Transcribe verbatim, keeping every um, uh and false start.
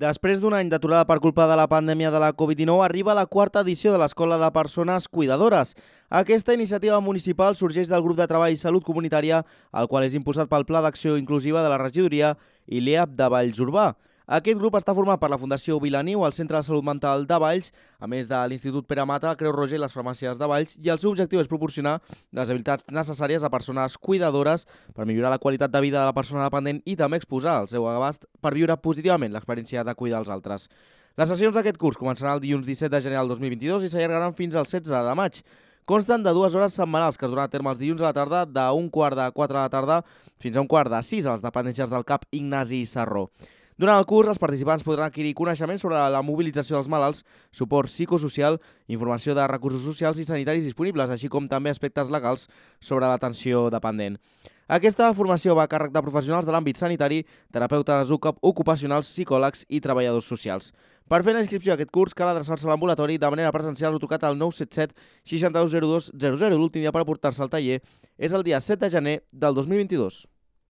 Després d'un any d'aturada per culpa de la pandèmia de la Covid dinou, arriba la quarta edició de l'Escola de Persones Cuidadores. Aquesta iniciativa municipal sorgeix del grup de treball Salut Comunitària, el qual és impulsat pel Pla d'Acció Inclusiva de la Regidoria i l'E A P de Valls Urbà. Aquest grup està format per la Fundació Vilaniu, el Centre de Salut Mental de Valls, a més de l'Institut Pere Mata, Creu Roja i les farmàcies de Valls, i el seu objectiu és proporcionar les habilitats necessàries a persones cuidadores per millorar la qualitat de vida de la persona dependent i també exposar el seu abast per viure positivament l'experiència de cuidar els altres. Les sessions d'aquest curs començaran el dilluns disset de gener del dos mil vint-i-dos i s'allargaran fins al setze de maig. Consten de dues hores setmanals que es duran a terme els dilluns a la tarda d'un quart de quatre de la tarda fins a un quart de sis a les dependències del C A P Ignasi Sarró. Durant el curs, els participants podran adquirir coneixements sobre la mobilització dels malalts, suport psicosocial, informació de recursos socials i sanitaris disponibles, així com també aspectes legals sobre l'atenció dependent. Aquesta formació va a càrrec de professionals de l'àmbit sanitari, terapeutes ocupacionals, psicòlegs i treballadors socials. Per fer la inscripció a aquest curs cal adreçar-se a l'ambulatori de manera presencial o trucat al nou set set sis dos zero dos zero zero. L'últim dia per aportar-se al taller és el dia set de gener del dos mil vint-i-dos.